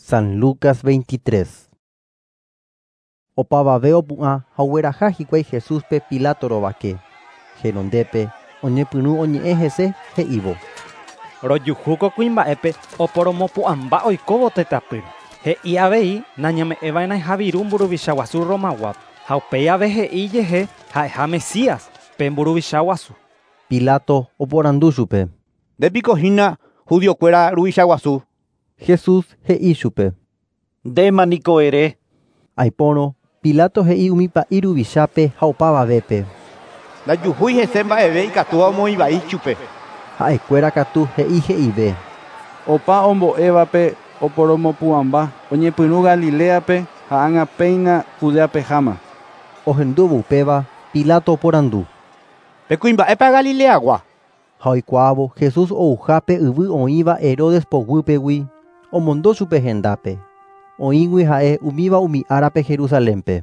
San Lucas 23. Opavave opu'ã ha ogueraha hikuái Jesúspe Pilato rovake. Henondépe oñepyrũ oñe'ẽ hese he'ívo. Rojuhu ko kuimba'épe oporomopu'ãmba oikóvo tetãpýre. He'i avei nañame'ẽva'erãha viru mburuvicha guasu Romaguápe. Ha upéi ave he'i ijehe ha'eha Mesías, pe mburuvicha guasu. Pilato oporandu chupe. Nde piko hína judiokuéra ruvicha guasu? Jesús he'i chupe. Ndéma niko ere. Aipórõ, Pilato he'i umi pa'i ruvichápe ha opavavépe. Ndajuhúi hese mba'eve ikatúva omoĩ vai chupe. Ha'ekuéra katu he'i he'ive. Opa ombo'évape oporomopu'ãmba, oñepyrũ Galiléape ha ág̃a péina Judeapeháma. Ohendúvo upéva, Pilato oporandu. Pe kuimba'épa Galileagua? Ha oikuaávo Jesús ouha pe yvy oĩva Herodes poguýpegui, omondo chupe hendápe. Oĩgui ha'e umíva umi árape Jerusalénpe.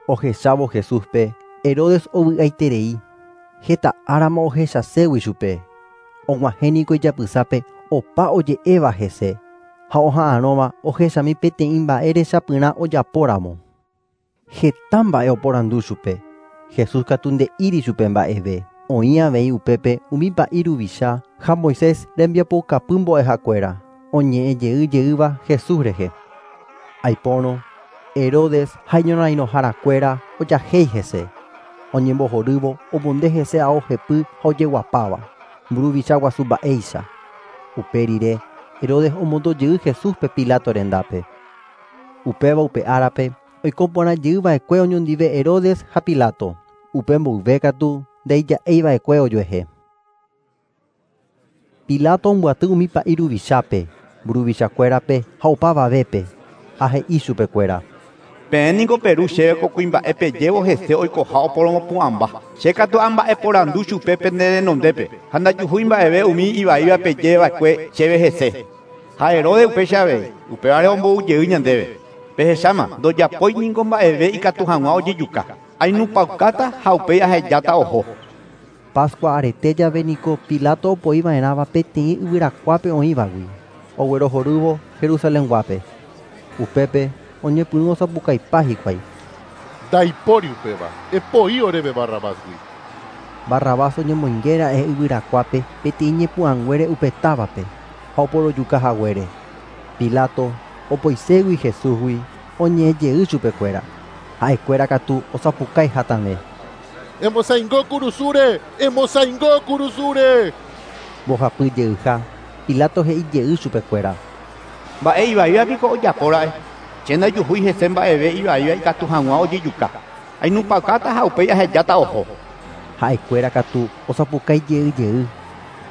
Ohechávo Jesúspe, Herodes ovy'aiterei. Heta árama ohechaségui chupe. Og̃uahẽ niko ijapysápe opa oje'éva hese, ha oha'arõva ohechami peteĩ mba'e rechapyrã ojapóramo. Heta mba'e oporandu chupe. Jesús katu nde'íri chupe mba'eve. Oĩ avei upépe umi pa'i ruvicha ha Moisés rembiapoukapy mbo'ehakuéra, oñe'ẽ jey jeýva Jesús rehe. Aipórõ, Herodes ha iñorairõharakuéra ojahéi hese. Oñembohorývo omonde hese ao hepy ha ojeguapáva, mburuvicha guasu mba'éicha. Upe rire, Herodes omondo jey Jesúspe Pilato rendápe. Upéva upe árape oiko porã jey va'ekue oñondive Herodes ha Pilato. Upe mboyve katu ndaija'éi va'ekue ojuehe. Pilato ombyaty umi pa'i ruvichápe, mburuvichakuérape ha opavavépe, ha he'i chupekuéra. Peẽ niko peru chéve ko kuimba'e pejévo hese oikoha oporomopu'ãmba. Che katu amba'eporandu chupe pene renondépe ha ndajuhúi mba'eve umi ivaíva pejeva'ekue chéve hese. Ha Herodes upéicha avei, upévare ombou jey ñandéve. Pehecháma, ndojapói niko mba'eve ikatu hag̃ua ojejuka. Ainupãukáta ha upéi ahejáta oho. Pascua arete jave niko Pilato opoiva'erãva peteĩ yvyrakuápe oĩvagui, oguerohorývo Jerusalenguápe. Upépe oñepyrũ osapukaipa hikuái. Ndaipóri upéva, epoi oréve Barrabásgui. Barrabás oñemoingéra'e yvyrakuápe peteĩ ñepu'ãnguére upe távape ha oporojukahaguére. Pilato opoiségui Jesúsgui oñe'ẽ jey chupekuéra. Ha'ekuéra katu osapukái hatãve. Emosaingo kurusúre! Emosaingo kurusúre! Mbohapy jeyha, Pilato he'i jey chupekuéra. Mba'e ivaíva piko ojapóra'e. Che ndajuhúi hese mba'eve ivaíva ikatu hag̃ua ojejuka. Ainupãukáta ha upéi ahejáta oho. Ha'ekuéra katu osapukái jey jey,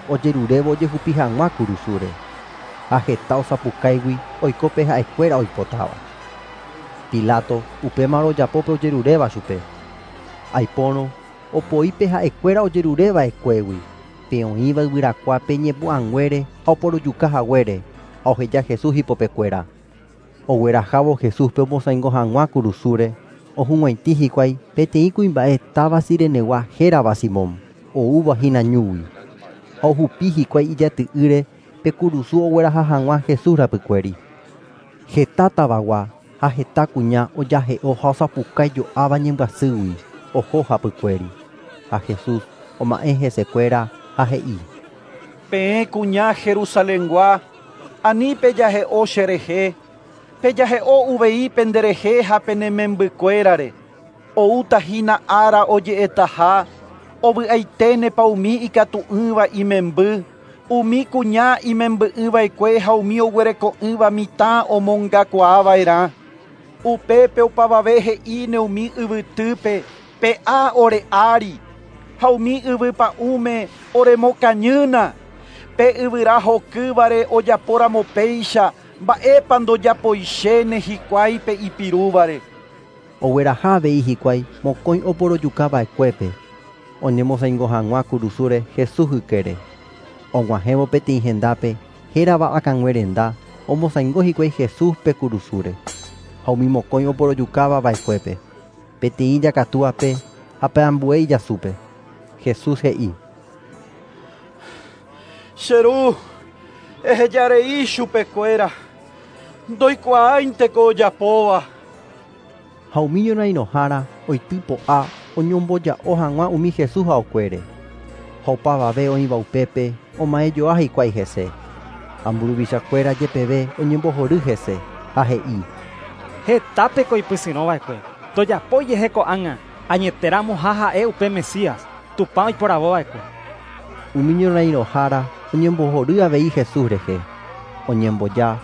ojerurévo ojehupi hag̃ua kurusúre. Ha heta osapukáigui oiko pe ha'ekuéra oipotáva. Pilato upémarõ ojapo pe ojeruréva chupe. Aipórõ, opoi pe ha'ekuéra ojerureva'ekuégui, pe oĩva yvyrakuápe ñepu'ãnguére ha oporojukahaguére, ha oheja Jesús ipopekuéra. Oguerahávo Jesúspe omosaingo hag̃ua kurusúre, ohug̃uaitĩ hikuái peteĩ kuimba'e táva Cirenegua hérava Simón, oúva hína ñúgui. Ha ohupi hikuái ijaty'ỹre pe kurusu ogueraha hag̃ua Jesús rapykuéri. Heta tavagua ha heta kuña ojahe'o ha osapukái jo'áva ñembyasýgui oho hapykuéri. Ha Jesús oma'ẽ hesekuéra ha he'i. Peẽ kuña Jerusalengua, ani pejahe'o cherehe, pejahe'o uvei penderehe ha pene membykuérare. Oúta hína ára oje'etaha, ovy'aiténepa umi ikatu'ỹva imemby, umi kuña imemby'ỹva'ekue ha umi oguereko'ỹva mitã omongakuaava'erã. Upépe opavave he'íne umi yvytýpe pe'a ore ári, ha umi yvypa'ũme oremokañýna. Pe yvyra hokývare ojapóramo péicha, mba'épa ndojapoichéne hikuái pe ipirúvare. Ogueraha avei hikuái mokõi oporojukava'ekuépe, oñemosaingo hag̃ua kurusúre Jesús ykére. Og̃uahẽvo peteĩ hendápe, hérava akãngue renda, omosaingo hikuái Jesúspe kurusúre. Ha umi mokõi oporojukava'ekuépe, peteĩ ijakatúape ha pe ambue ijasúpe. Jesús he'i. Che ru, ehejarei chupekuéra, Ndoikuaáinteko ojapóva. Ha umi ñorairõhára oitypo'a oñomboja'o hag̃ua umi Jesús aokuére. Ha opavave oĩva upépe oma'ẽjoa hikuái hese. Ha mburuvichakuéra jepeve oñembohory hese ha he'i: Hetápeko oipysyrõva'ekue. Tojapo ijehe ko'ág̃a añeteramoha ha'e upe Mesías, Tupã oiporavova'ekue. Umi ñorairõhára oñembohory avei Jesús rehe. Oñemboja,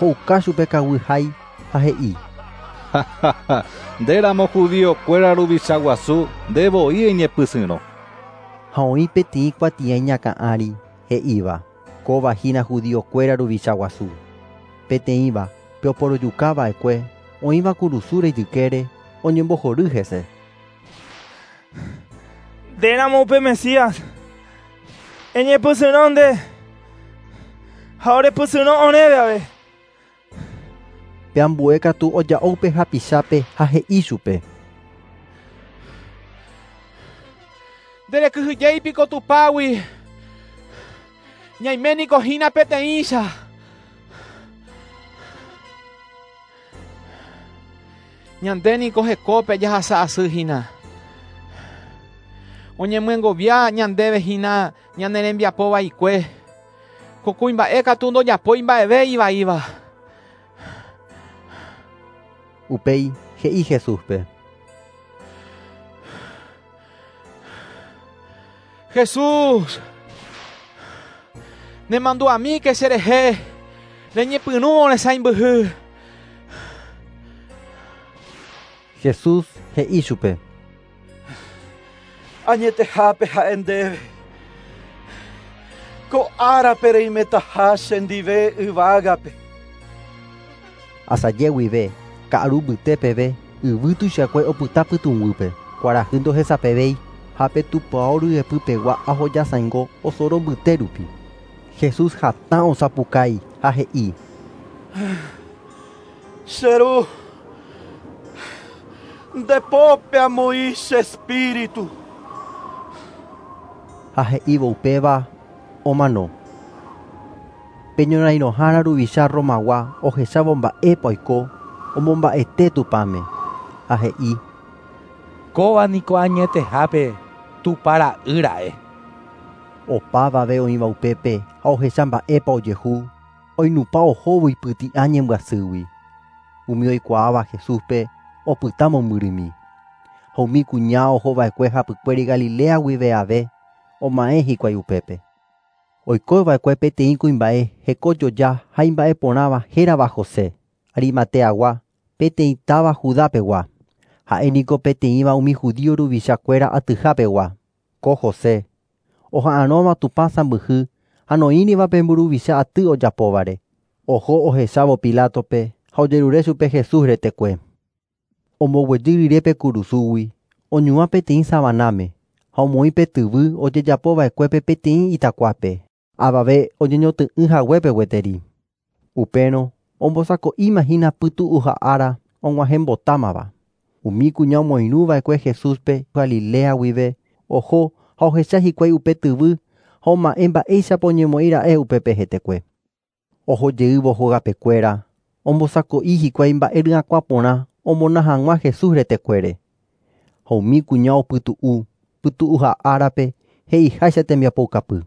ho'uka chupe kaguy hái ha he'i: Ndéramo judiokuéra ruvicha guasu, ndevoi eñepysyrõ. Ha oĩ peteĩ kuatia iñakã ári he'íva: Kóva hína judiokuéra ruvicha guasu. Peteĩva pe oporojukava'ekue oĩva kurusúre ijykére oñembohory hese. Ndéramo upe Mesías, eñepysyrõ nde ha orepysyrõ oréve ave. Pe ambue katu oja'o upe hapichápe ha he'i chupe: Nderekyhyjeipiko Tupãgui. Ñaiméniko hína peteĩcha. Ñandéniko hekópe jahasa asy hína. Oñemyengovia ñandéve hína ñane rembiapo vaikue. Ko kuimba'e katu ndojapói mba'eve ivaíva. Upéi he'i Jesúspe: Jesús, nemandu'amíke cherehe, reñepyrũvo resãimbyhy. Jesús he'i chupe: Añetehápe ha'e ndéve. Ko árape reimetaha chendive yvágape. Asaje guive ka'aru mbyte peve yvy tuichakue opyta pytũguýpe. Kuarahy ndohesapevéi ha pe tupão ryepypegua ahojasãingo osoro mbyte rupi. Jesús hatã osapukái ha he'i: Che ru, ndepópe amoĩ che espíritu. Ha he'ívo upéva omano. Pe ñorairõhára ruvicha Romagua ohechávo mba'épa oiko omomba'ete Tupãme. Ha he'i: Kóva niko añetehápe Tupã ra'y ra'e. Opavave oĩva upépe ha ohecha mba'épa ojehu, oinupã ohóvo ipyti'a ñembyasýgui. Umi oikuaáva Jesúspe opyta mombyrymi. Ha umi kuña ohova'ekue hapykuéri Galilea guive ave oma'ẽ hikuái upépe. Oikova'ekue peteĩ kuimba'e hekojoja ha imba'eporãva hérava José, Arimateagua, peteĩ táva Judapegua. Ha'éniko peteĩva umi judío ruvichakuéra atyhapegua. Ko José oha'arõva Tupã sãmbyhy ha noĩriva pe mburuvicha aty ojapóvare. Oho ohechávo Pilatope ha ojerure chupe Jesús retekue. Omboguejy rire pe kurusúgui, oñuã peteĩ savanáme ha omoĩ pe tyvy ojejapova'ekuépe peteĩ itakuápe, avave oñeñotỹ'ỹ haguépe gueteri. Upérõ ombosako'íma hína pytu'uha ára og̃uahẽmbotámava. Umi kuña omoirũva'ekue Jesúspe Galilea guive oho ha ohecha hikuái upe tyvy ha oma'ẽ mba'éichapa oñemoĩra'e upépe hetekue. Ohojeývo hogapekuéra, ombosako'i hikuái mba'e ryakuã porã omona hag̃ua Jesús retekuére. Ha umi kuña opytu'u pytu'uha árape he'iháicha tembiapoukapy.